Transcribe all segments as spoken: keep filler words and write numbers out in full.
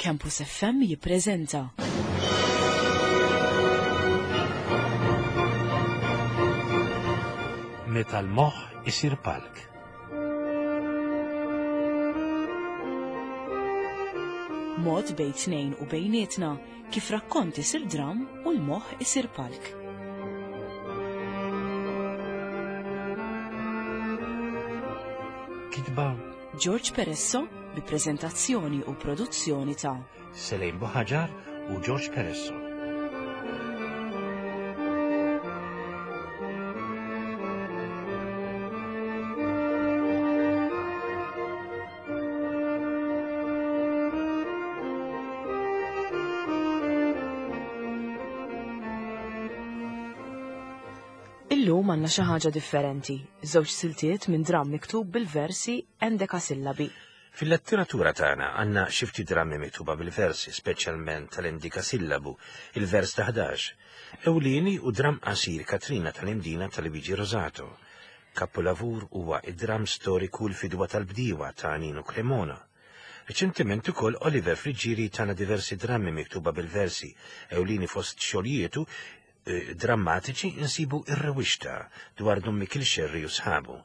Campus F M jippreżenta Meta l-moħħ isir palk. Mod bejn tnejn u bejnietna kif rakkont isir dram u l-moħħ isir palk. Kitba George Peresso bi prezentazzjoni u produzzjoni ta' Selejn Buħaġar u George Peresso. Illum għandna xi ħaġa differenti, żewġ siltiet minn dramm miktub bil-versi endekasillabi. Fil-letteratura tagħna għandna xi ftit drammi miktuba bil-versi, speċjalment tal-endikasillabu, il-vers ta' ħdax. Ewlieni u dramm qasir Katrina tal-Imdina tal-Luigi Rosato. Kapolavur huwa id-dramm storiku l-Fidwa tal-Bdiewa ta' Nino Cremona. Reċentement ukoll Oliver Friggieri tana diversi drammi miktuba bil-versi, ewlieni fost xogħlijietu, eh, drammatiċi insibu Ir-Rewixta dwar Dun Mikiel Xerri u sħabu.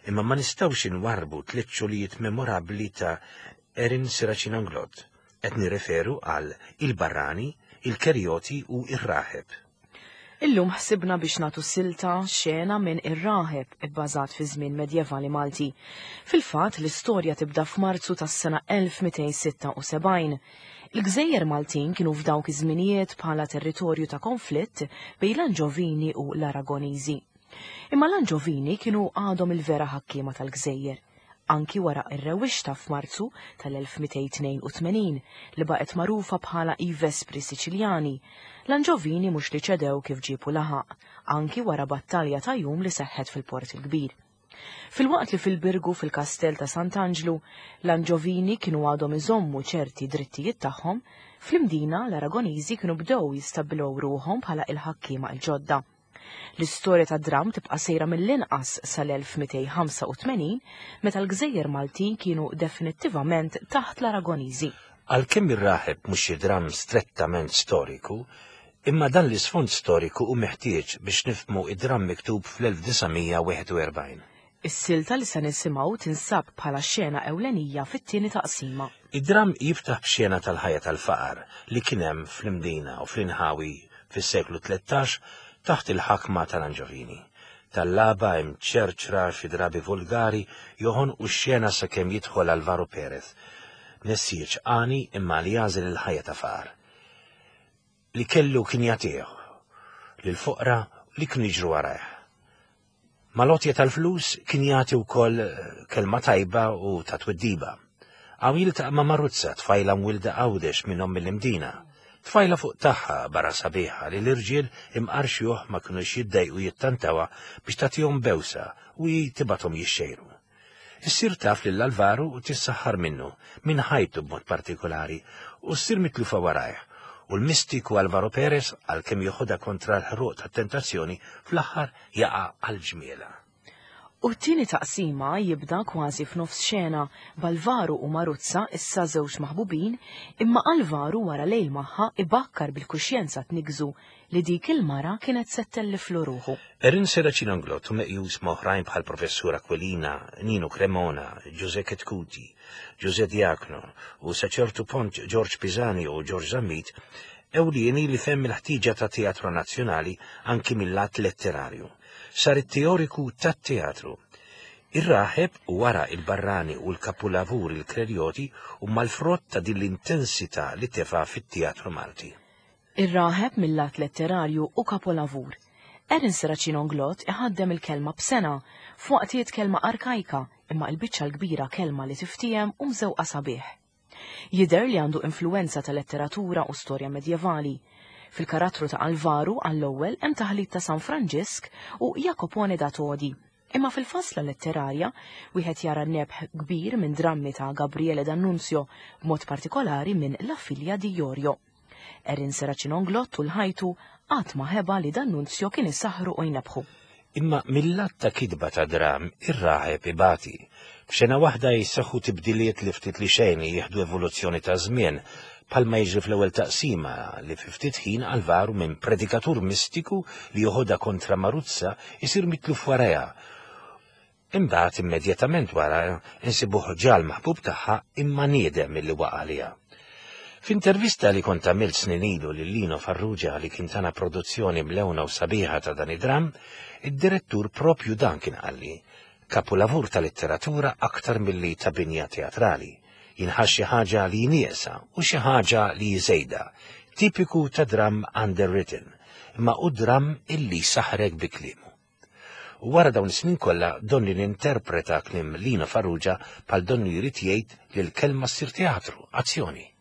Imma ma nistgħux inwarrbu tliet xogħlijiet memorabbli ta' Erin Serracino Inglott. Qed nirreferu għal Il-Barrani, Il-Kerjoti u Ir-Raħeb. Illum ħsibna biex nagħtu silta xena minn Ir-Raħeb ibbażat fi żmien medjevali Malti. Fil-fatt l-istorja tibda f'Marzu tas-sena elf mitejn sitta u sebgħin. Il-Gżejjer Maltin kienu f'dawk iż-żminijiet bħala territorju ta' konflitt bejn l-Anġovini u l-Aragoniżi. Imma l-Anġovini kienu għadhom il-vera ħakkiema tal-Gżejjer, anki wara ir-rewwixta f'Marzu tal-elf mitejn tnejn u tmenin li baqgħet magħrufa bħala i Vespri Siċiljani. L-Anġovini mhux li ċedew kif ġiebu laħaq, anki wara battalja ta' jum li seħħet fil-Port il-Kbir. Filwaqt li fil-Birgu fil-Kastell ta' Sant'Anġlu, l-Anġovini kienu għadhom iżommu ċerti drittijiet tagħhom, fl-Imdina l-Aragoniżi kienu bdew jistabbilew ruħhom bħala il-ħakkiema l-ġodda. L-istorja ta' dramm tibqa' sejra mill-inqas sal-elf mitejn ħamsa u tmenin meta l-Gżejjer Maltin kienu definittivament taħt l-Aragoniżi. Għalkemm Ir-Raħeb mhux xi dramm strettament storiku, imma dan l-isfond storiku hu meħtieġ biex nifhmu id-dramm miktub fl-elf disa' mija wieħed u erbgħin. Is-silta li se nisimgħu tinsab bħala xena ewlenija fit-tieni taqsima. Id-dramm jiftaħ b'xena tal-ħajja tal-faqar li kien hemm fl-Imdina u fl-inħawi fis-seklu tlettax taħt il-ħakma tal-Anġovini. Tal-laba hemm ċerċra xi drabi vulgari joħonqu x-xena sakemm jidħol Alvaro Perez, nessieġ għani imma li jagħżel il-ħajja ta' faqar. Li kellu kien jagħtih lill-foqra li kienu jiġru warajh. Mal-għotja tal-flus kien jagħti wkoll kelma tajba u ta' twiddiba. Hawn jiltaqa' ma' Maruzza, tfajla mwilda Għawdex minn omm il-Imdina. Tfajla fuq tagħha barra sabiħa li l-irġiel imqarxjuh ma kinux jiddejqu jittantawha biex tagħtihom bewsa u hi tibathom jixxejru. Issir taf lil Alvaro u tissaħħar minnu, minn ħajtu b'mod partikolari, u ssir mitlufa warajh. U l-mistiku Alvaro Perez, għalkemm joħodha kontra l-ħruq tat-tentazzjoni, fl-aħħar jaqa' għal ġmiela. U t-tieni taqsima jibda kważi f'nofs xena b'Alvaro u Maruzza issa żewġ maħbubin, imma Alvaro wara lejl magħha ibakkar bil-kuxjenza tniggżu li dik il-mara kienet se ttelliflu ruħu. Erin Serracino Inglott u meqjus ma' oħrajn bħal Professur Aquilina, Nino Cremona, Giuseppe Chetcuti, Giuseppe Diacono u sa ċertu punt George Pisani u George Zammit, ewlieni li fehem il-ħtieġa ta' teatru nazzjonali anki mill-lat letterarju. Sar it-teoriku tat-teatru. Ir-Raħeb u wara il-Barrani u l-Kapulavur il-Krerjoti huma l-frott ta' din l-intensità li tefa' fit-teatru Malti. Ir-Raħeb mill-lat letterarju u kapolavur. Erin Serracino Inglott iħaddem il-kelma b'sena, f'waqtiet kelma arkajka, imma l-biċċa l-kbira kelma li tiftiehem u mżewqa sabiħ. Jidher li għandu influenza ta' letteratura u storja medjevali. Fil-karattru ta' Alvaro għall-ewwel hemm taħlit ta' San Franġisk u Jacopone da Todi. Imma fil-fasla letterarja wieħed jara nebħ kbir minn drammi ta' Gabriele D'Annunzio, b'mod partikolari minn La Figlia di Iorio. Erin Serracino Inglott tul ħajtu qatt ma ħeba li D'Annunzio kien isaħħru u jnebħu. Imma mill-lat ta' kitba ta' dram, ir-raħeb ibati. F'xena waħda jissaħħu tibdiliet li ftit li xejn jieħdu evoluzzjoni ta' żmien, Palma jiġri fl-ewwel taqsima li fi ftit ħin Alvaru minn predikatur mistiku li joħodha kontra Maruzza isir mitluf warajha. Imbagħad immedjatament wara insibuh ġal maħbub tagħha imma niedem milli waqa' għaliha. F'intervista li kont għamilt snin ilu lil Lino Farrugia li kien tana produzzjoni mlewna u sabiħa ta' dan id-dram, id-direttur propju dan kien qalli, kapulavur ta' letteratura aktar milli ta' binja teatrali. Jinħass xi ħaġa li nieqsa u xi ħaġa li żejda, tipiku ta' dram underwritten, imma u dram illi saħrek bi kliemu. U wara dawn is-snin kollha donni ninterpreta kliem Lino Farrugia bħal donnu jrid jgħid li l-kelma ssir teatru, azzjoni.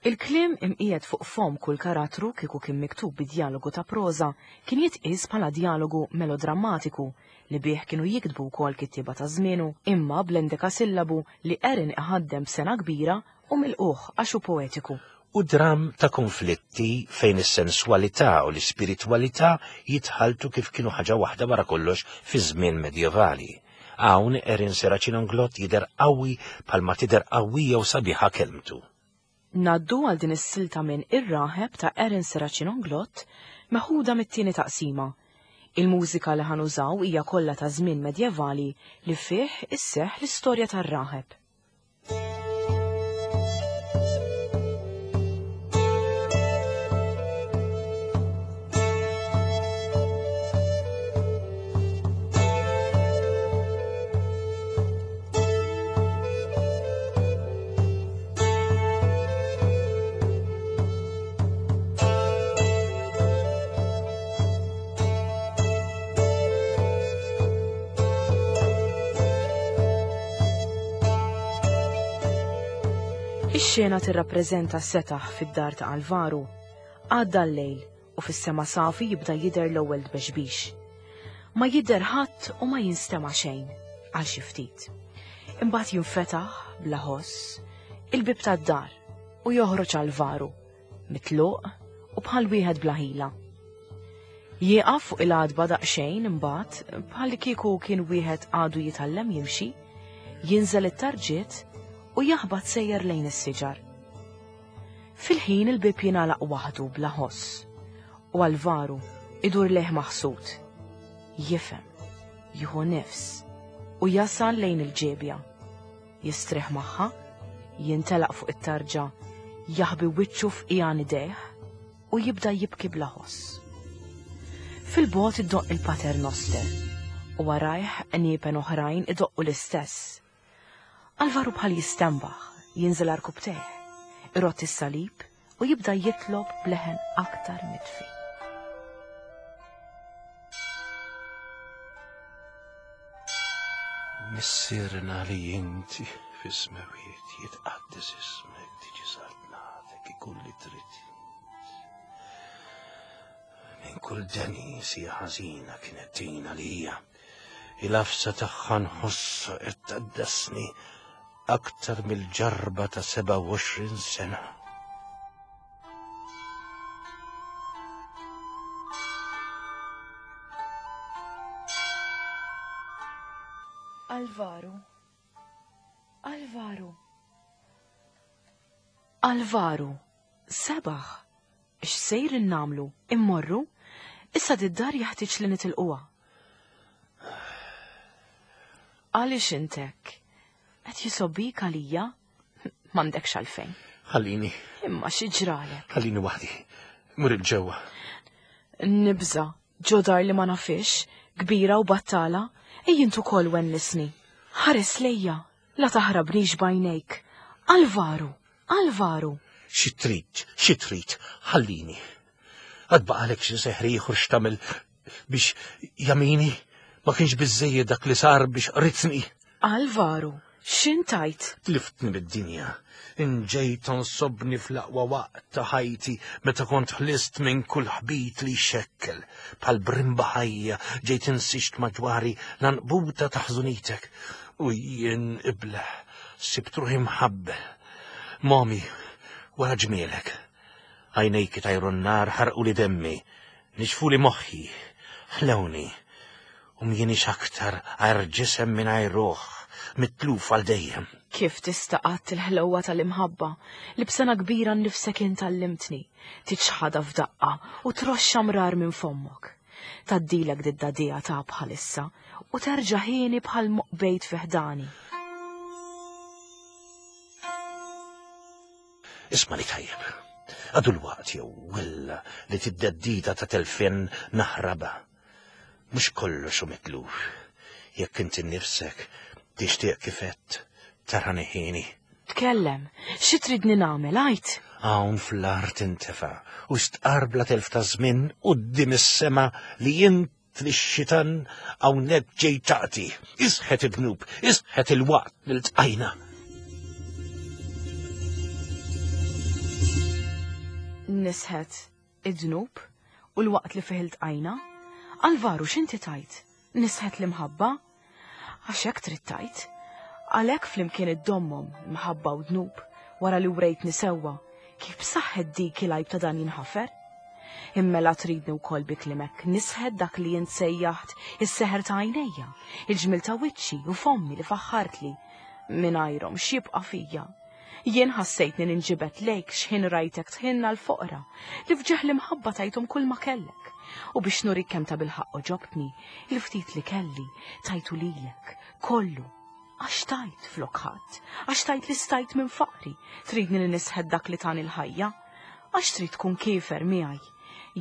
Il-kliem imqiegħed fuq fom kull karattru kieku kien miktub bi djalogu ta' proża kien jitqies bħala djalogu melodrammatiku li bih kienu jiktbu wkoll kittieba ta' żmienu, imma bl-endekasillabu li Erin iħaddem b'sena kbira u milquh għax hu poetiku. U dram ta' konflitti fejn is-sensualità u l-ispiritwalità jitħaltu kif kienu ħaġa waħda wara kollox fi żmien medjevali. Hawn Erin Serracino Inglott jidher qawwi bħalma tidher qawwija u sabiħa kelmtu. Naddu għal din is-silta minn Ir-Raħeb ta' Erin Serracino Inglott meħuda mit-tieni taqsima. Il-mużika li ħanużaw hija kollha ta' żmien medjevali li fih isseħħ l-istorja tar-raħeb. Ix-xena tirrappreżenta setaħ fid-dar ta' Alvaru. Għadda l-lejl u fis-sema safi jibda jidher l-ewwel tbexbix. Ma jidher ħadd u ma jinstema' xejn għal xi ftit. Imbagħad jinfetaħ bla ħoss il-bieb tad-dar u joħroġ Alvaru, mitluq u bħal wieħed bla ħila. Jieqaf fuq il-għadba daqsxejn imbagħad bħal kieku kien wieħed għadu jitgħallem jimxi, jinżel it-tarġiet u jaħbat sejjer lejn is-siġar. Fil-ħin il-bieb jingħalaq waħdu bla ħoss u Alvaru idur lejh maħsud. Jifhem, jieħu nifs u jasal lejn il-ġebja. Jistrieħ magħha, jintelaq fuq it-tarġa, jaħbi wiċċu f'qiegħan idejh u jibda jibki bla ħoss. Fil-bogħod iddoqq il-Pater Noster u warajh qniepen oħrajn idoqqu l-istess. Alvaru bħal jistenbaħ, jinżel għarkupptejh, irott is-salib u jibda jitlob bleħen aktar mitfi. Missierna li inti fis-smewiet, jitqaddes ismek, tiġi saltnatek, ikun li trid. Minn kull deni sija ħażina kienet tina li hija. Il-afsa tagħha nħossha qed tgħaddasni aktar mill-ġarba ta' seba' u għoxrin sena. Alvaru, Alvaru, Alvaru, sebaħ, x'sejr innamlu, immorru, issa d-dar jaħtieġ li nitilquha. Għaliex intek? Qed jisobbik għalija? M'għandekx għalfejn. Ħallini. Imma xi ġralek? Ħallini waħdi. Mur il-ġewwa. Nibża, ġodar li ma nafix, kbira u battala, ej int ukoll wennisni. Ħares lejja, la taħrabnix b'għajnejk. Alvaru, Alvaru. Xi trid, xi trid, ħallini. Għad baqalek xi seħri ieħor x'tagħmel biex jamini? Ma kienx biżżejjed dak li sar biex qritni. Alvaru, x'intajt? Tliftni mid-dinja. Inġejt tonsobni fl-aqwa waqt ta' ħajti meta kont ħlist minn kull ħbit li xekkel. Bħal brimba ħajja ġejt insixt madwari l-anqbuta ta' ħżunitek. U jien ibleħ, sibt ruħi mħabbel. Momi, wara ġmielek. Għajnejk tajru n-nar ħarqu li demmi, nixfu li moħħi, ħlewni. U mjienix aktar għajr ġisem mingħajr ruħ, mitluf għal dejjem. Kif tista' qatt il-ħlewwa tal-imħabba li b'sena kbira nnifsek int għallimtni, tiċħadha f'daqqa u troxxa mrar minn fommok. Taddilek did-dadija ta' bħalissa u terġa' ħieni bħal moqbejt fi ħdani. Isma' li tajjeb. Għadu l-waqt jew willa li tiddeddida ta' telfien naħraba. Mhux kollox hu mitluf. Jekk inti nnifsek tixtieq kif għedt, tarani ħieni. Tkellem, xi tridni nagħmel, għid? Hawn fl-art intefa' u stqar bla telf ta' żmien quddiem is-sema li int li x-xitan hawnhekk ġej taqti. Isħet id-dnub, isħet il-waqt li ltqajna. Nisħet id-dnub u l-waqt li fih iltqajna? Alvaru, x'inti tajt? Nisħet l-imħabba? Għax hekk trid tajt. Għalhekk flimkien iddommhom imħabba u dnub wara li wrejtni sewwa, kif b'saħħet dik il-għajb ta' dan jinħafer? Immela tridni wkoll bi kliemek nisħet dak li int sejjaħt is-seħer ta' għajnejja, il-ġmil ta' wiċċi u fommi li faħħartli. Mingħajrhom x'jibqa' fija? Jien ħassejtni ninġibed lejk x'ħin rajtek tħinna l-foqra li fġeħ l-imħabba tajthom kull ma kellek. U biex nurik kemm ta' bilħaqq oġobtni, il-ftit li kelli tajtu lilek, kollu. Għax tajt flok ħadd, għax tajt li stajt minn faqri, tridni li nisħed dak li tani l-ħajja, għax trid tkun kiefer miegħi.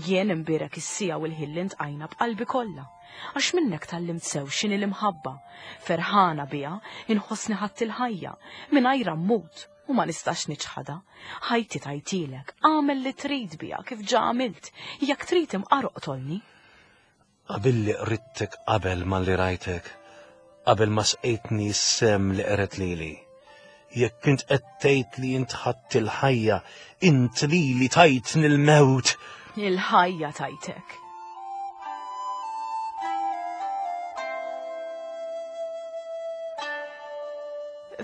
Jien imbierek is-sija u l-ħin li ntqajna b'qalbi kollha, għax minnek tgħallimt sew x'inhi l-imħabba, ferħana biha inħossni ħadd il-ħajja, mingħajr mmut u ma nistax niċħadha. Ħajti tajtilek, għamel li trid biha kif ġa għamilt, jekk trid imqar oqtolni. Qabilli qrittek qabel ma li rajtek, qabel ma sqejtni s-sem li qret lili. Jekk int qed tgħid li int ħadt il-ħajja, int lili tajtni l-mewt. Il-ħajja tajtek.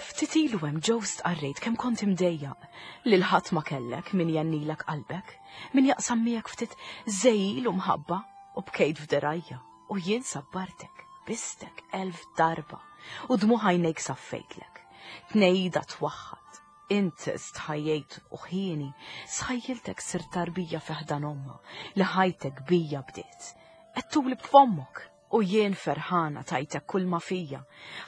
Ftit ilu hemm ġew stqarrejt kemm kont imdejjaq li l-ħadd ma kellek min jennilek qalbek, min jaqsam miegħek ftit żejjil u mħabba, u bkejt f'derajja u jien sabbartek, bistek elf darba u dmuħ għajnejk saffejtlek. Tnejda twaħħad, int stħajjejt u ħieni, sħajjiltek sir tarbija fi ħdan omma li ħajtek bija bdiet. Qed tuli b'fommok u jien ferħana tajtek kull ma fija.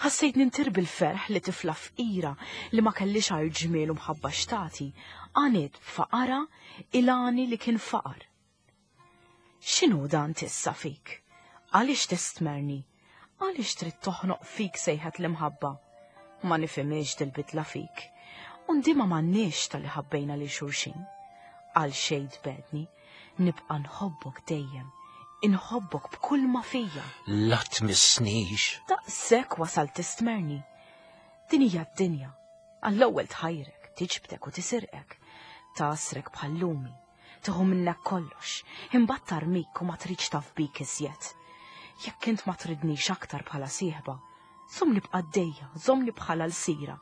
Ħassejt nintir bil-ferħ li tifla fqira li ma kellix għajr ġmiel u mħabba xtati, għaniet b'faqara il-għani li kien faqar. X'inhu dan tissa fik? Għaliex tistmerni? Għaliex trid toħnoq fik sejħet l-imħabba? Ma nifhimx dil-bidla fik. U ndima m'għandniex tal-li ħabbejna lil xulxin. Għal xejn tbedni, nibqa' nħobbok dejjem, inħobbok b'kull ma fija. La tmissnix. Daqshekk wasal tistmerni. Din hija d-dinja. Għall-ewwel tħajrek, tiġbdek u tisirqek, tagħsrek bħal lumi, tieħu minnek kollox, imbagħad tarmik u ma tridx taf bik iżjed. Jekk int ma tridnix aktar bħala sieħba, żommni b'qaddejja, żommni bħala l-sira,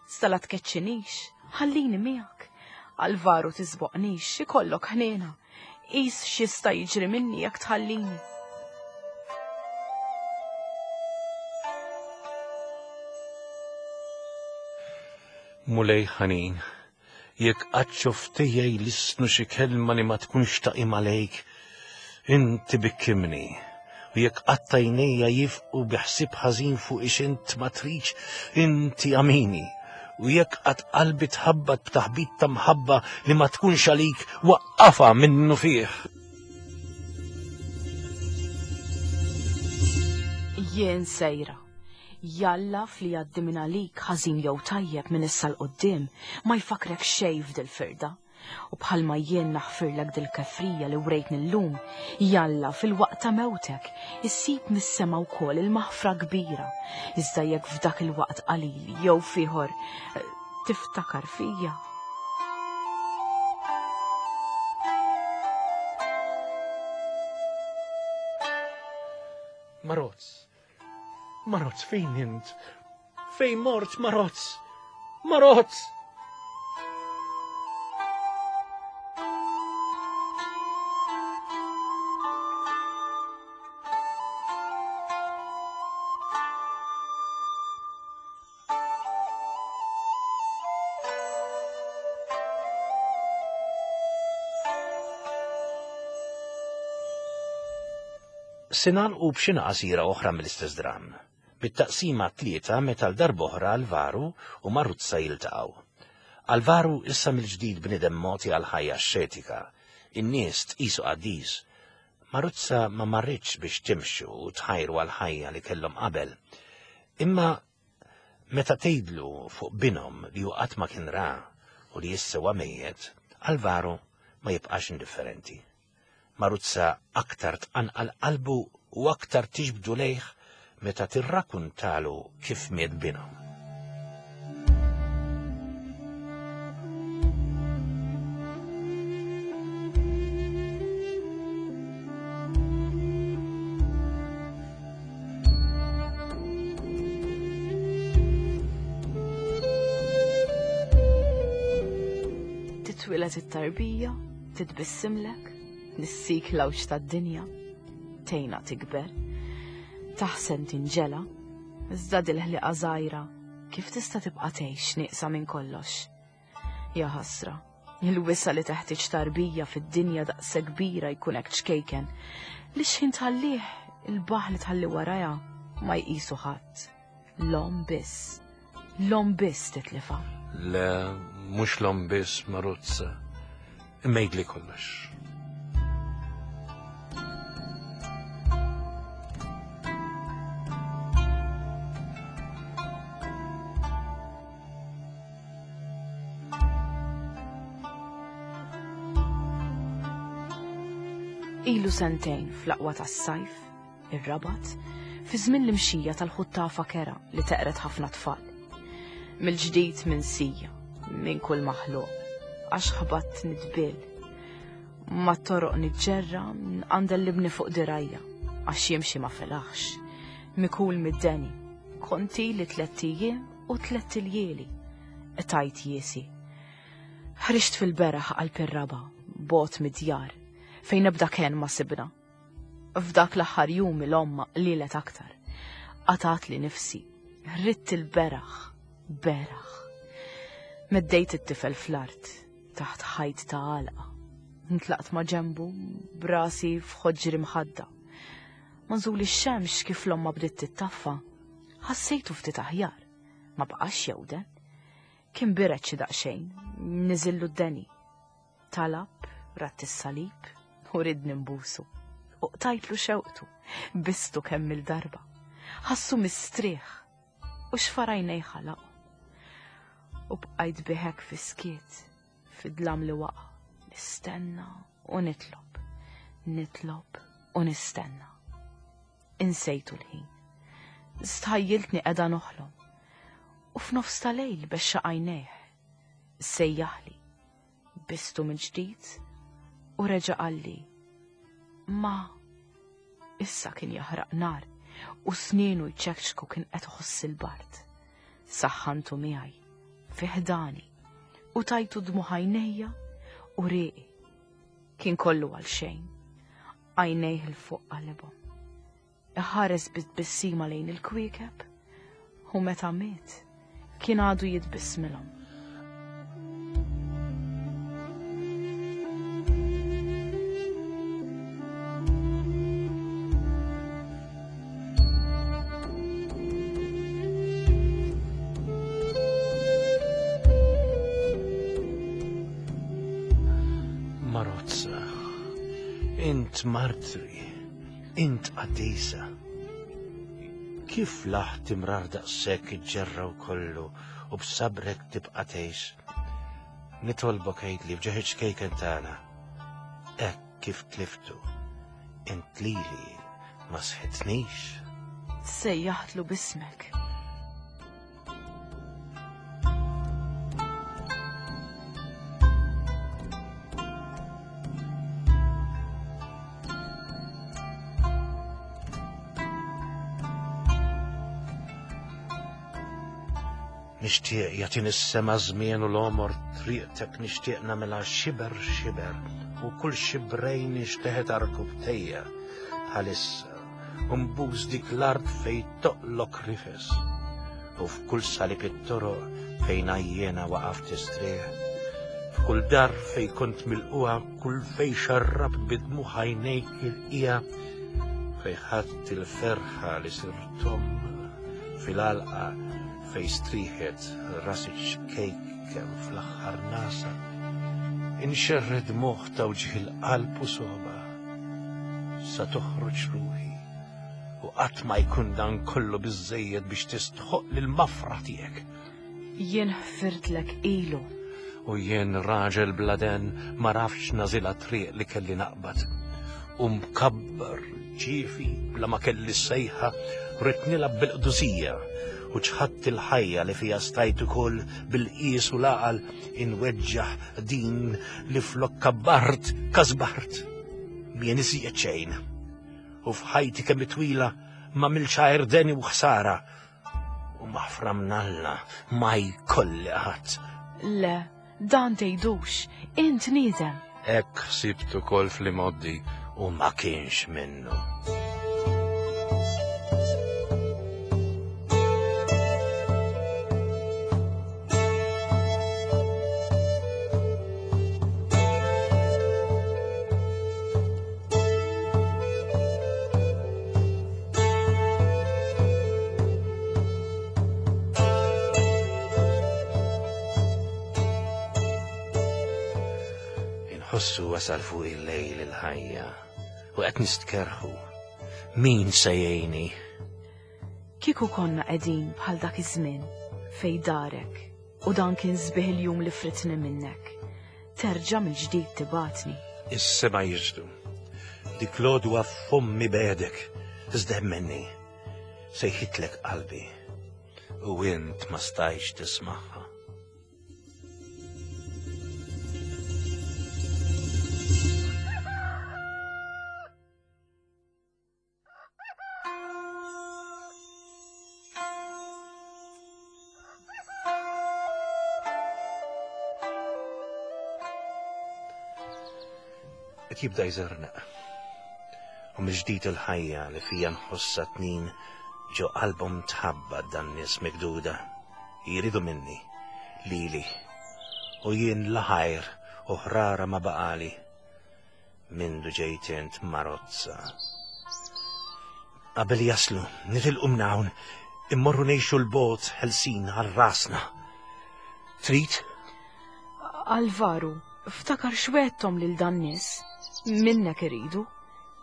iżda la tkeċċinix, ħallini miegħek. Alvaru tisboqnix, ikollok ħniena. Qis x'jista' jiġri minni jekk tħallini. Mulej ħanin, jekk qatt xoftejja jlissnu xi kelma li ma tkunx taqim għalejk, inti bikkimni. U jekk qatt għajnejja jifqu bi ħsieb ħażin fuq ix int ma tridx, inti amini. U jekk qatt qalbi tħabbat b'taħbit ta' mħabba li ma tkunx għalik, waqqafha minnu fih. Jien sejra. Jalla fli jgħaddi minn għalik ħażin jew tajjeb minn issa l quddiem ma jfakrek xejn f'dil-firda. U bħalma jien naħfirlek dil-kefrija li wrejtni llum, jalla fil-waqt ta' mewtek issib mis-sema wkoll il-maħfra kbira. Iżda jekk f'dak il-waqt qalil jew fieħor tiftakar fija. Marozz, Marozz, fejn int? Fejn mort, Marozz? Marozz! Se nagħlqu b'xena qasira oħra mill-istess dramm, bit-taqsima tlieta meta l-darb'oħra Alvaru u Maruzza jiltaqgħu. Alvaru issa mill-ġdid bniedem mogħti għal ħajja xetika, in-nies tqisu qaddis. Maruzza ma marritx biex timxu u tħajru għal ħajja li kellhom qabel. Imma meta tgħidlu fuq binhom li hu qatt ma kien ra u li issa huwa mejjet, Alvaro ma jibqax indifferenti. Maruzza aktar tqanqal qalbu u aktar tiġbdu lejh meta tirrakkuntalu kif miet binhom. Titwieled it-tarbija, titbissimlek, nissik l-għawġ tad-dinja, tgħinha tikber, taħsen tinġela, iżda dil-ħliqa żgħira kif tista' tibqa' tgħix nieqsa minn kollox. Ja ħasra, il-wisa li teħtieġ tarbija fid-dinja daqshekk kbira jkun hekk ċkejken, li x'ħin tħallih il-baħ li tħalli warajha ma jqisu ħadd. L-omm biss, l-omm biss titlifa. Le, mhux l-omm biss, Maruzza, imma jgħidli kollox. Ilu sentejn fl-aqwa tas-sajf, ir-Rabat, fi żmien l-imxija tal-ħuttafa kera li teqret ħafna tfal. Mill-ġdid minsija, minn kull maħluq, għax ħbatt nitbil. Ma toroq niġġerra, nqandel libni fuq dirajja, għax jimxi ma felaħx. Mikul mid-deni, konti li tlett ijiem u tlett iljieli, tajt jiesi. Ħriġt fil-beraħ qalb ir-raba, bot mid-djar, fejn ebda ken ma sibna. F'dak l-aħħar jum il-omma qlilet aktar. Qatat li nifsi, ridt il-beraħ, beraħ. Meddejt it-tifel fl-art, taħt ħajt ta' għalqa. Ntlaqt ma' ġembu, brasi f'ħoġri mħadda. Ma nżul ix-xemx kif l-omma bdiet tittaffa, ħassejtu ftit aħjar, ma baqax jewden. Kien biret xi daqsxejn, niżillu d-deni. Talab, ratt is-salib, u ridni nbusu. U qtajtlu xewqtu, bistu kemm il-darba. Ħassu mistrieħ, u xfarajnej ħalaqu. U bqajt biħek fi skiet, fid-dlam li waqa', nistenna u nitlob, nitlob u nistenna. Insejtu l-ħin. Stħajjiltni qiegħda noħlom. U f'nofs ta' lejl bexxa għajnejh. Sejjaħli, bistu mill-ġdid u reġa' qalli. Ma issa kien jaħraq nar u snienu jċekċku kien qed iħoss il-bard. Saħħantu miegħi fi ħdani u tajtu dmu ħajnejja u rieqi. Kien kollu għal xejn. Għajnejh il fuq qalibhom. Iħares bit-tbissima lejn il-kwiekeb u meta miet kien għadu jitbissmilhom. Maruzza, int martri, int qaddisa. Kif laħt imrar daqshekk iġġerraw kollu u b'sabrek tibqa' tgħix? Nitolbok għidli f'ġieħ ċkejken tagħna. Hekk kif tliftu, int lili ma sħitnix. Sejjaħtlu bismek. Nixtieq jagħtini s-sema żmien u l-għomor triqtek nixtieq nagħmilha xiber xiber u kull xibrejn nixteħet arkubtejja bħalissa u nbus dik l-art fejn toqlok rifes u f'kull salib it-toroq fejn għajjena waqaf tistrieħ, f'kull dar fejn kont milquha, kull fejn xarrabt bidmuħ għajnejk il-qija, Fej ħadd il-ferħa li sirtom fil-għalqa fej striħet rasi ċkejkem fl-aħħar nasa. Inxerred moħ ta' wġih il-qalb u soba sa toħroġ ruħi u qatt ma jkun dan kollu biżżejjed biex tistħoq lil-mafra tiegħek. Jien ħfirtlek ilu. U jien raġel bladen ma rafx nażilha triq li kelli naqbad. U mkabbar ġifi bla ma kelli sejħa rrid nilgħab bil-qdusija u ċħadt il-ħajja li fija stajt ukoll bil-qies u l-għaqal inweġġaħ din li flok kabbart kasbart. Mien iżjed xejn. U f'ħajti kemm twila ma milx għajr deni u ħsara. U maħfra mnalla ma jkolli ħadd. Le, dan tgħidux, int niedem. Hekk ħsibt ukoll fl-imgħoddi u ma kienx minnu. Inħossu wasal fuq il-lejl il-ħajja u qed nistkerħu. Min se jgħinni? Kieku konna qegħdin bħal dak iż-żmien fej darek u dan kien sbieħ il-jum li fritni minnek. Terġa' mill-ġdid tibatni. Is-sema jiġdu. Dik l-għodwa f'fommi bedek, iżda minni. Sejħitlek qalbi u int ma stajtx tismagħha. Qed jibda jżernaq. U mill-ġdid il-ħajja li fija nħossha tnin ġo qalbhom tħabba dan nies mikduda. Jridu minni, lili, u jien laħajr u ħrara ma baqali. Mindu ġejt int marozza. Qabel jaslu, nitilqu minn hawn, immorru ngħixu l-bogħod ħelsin għal rasna. Trid? Alvaru, ftakar xwettom lil dan nies. Minnek iridu.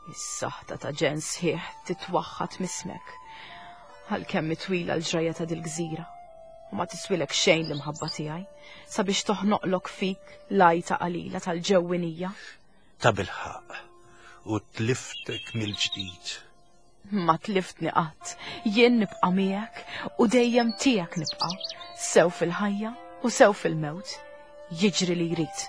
Is-saħta ta' ġen sħiħ titwaħħat mismek. Għalkemm twila l-ġrajja ta' dil-gżira. U ma tiswilek xejn l-imħabba tiegħi sabiex toħnoqlok fik l-għajta qalila tal-ġewwinija. Ta' bilħaq u tliftek mill-ġdid. Ma tliftni qatt, jien nibqa' miegħek u dejjem tiegħek nibqa', sew fil-ħajja u sew fil-mewt, jiġri li jrid.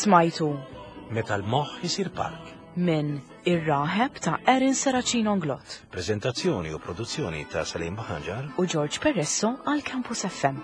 Smajtu Meta l-moħħ isir park. Minn Ir-Raħeb ta' Erin Serracino Inglott. Prezentazzjoni u produzzjoni ta' Salim Buhagiar u George Peresso għal Campus F M.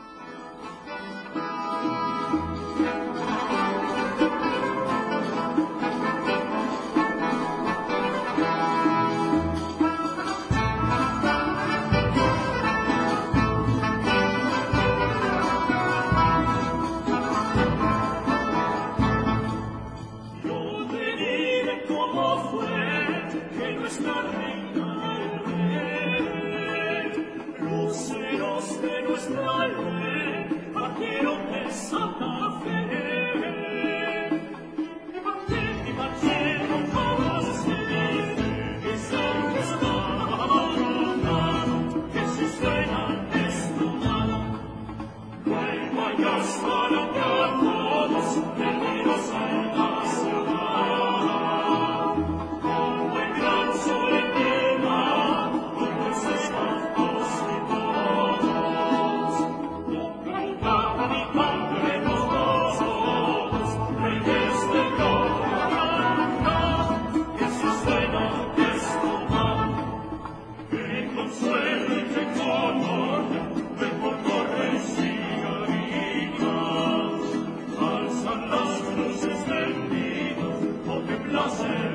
Yo te diré cómo fue que nuestra reina el luceros de nuestra ley partieron de Santa Fe. Partieron y partieron como se dicen que estaba madrugada, que si suena es tu mano. Luego allá estarán ya todos perdidos en la ciudad. Como el gran sol en el mar, con dulces cantos y tonos. Con y padre los dos, reyes de gloria blanca, que si suena es tu mano. Qué consuelo y qué color de por torres y garitas. Alzan las cruces del nido, o te place el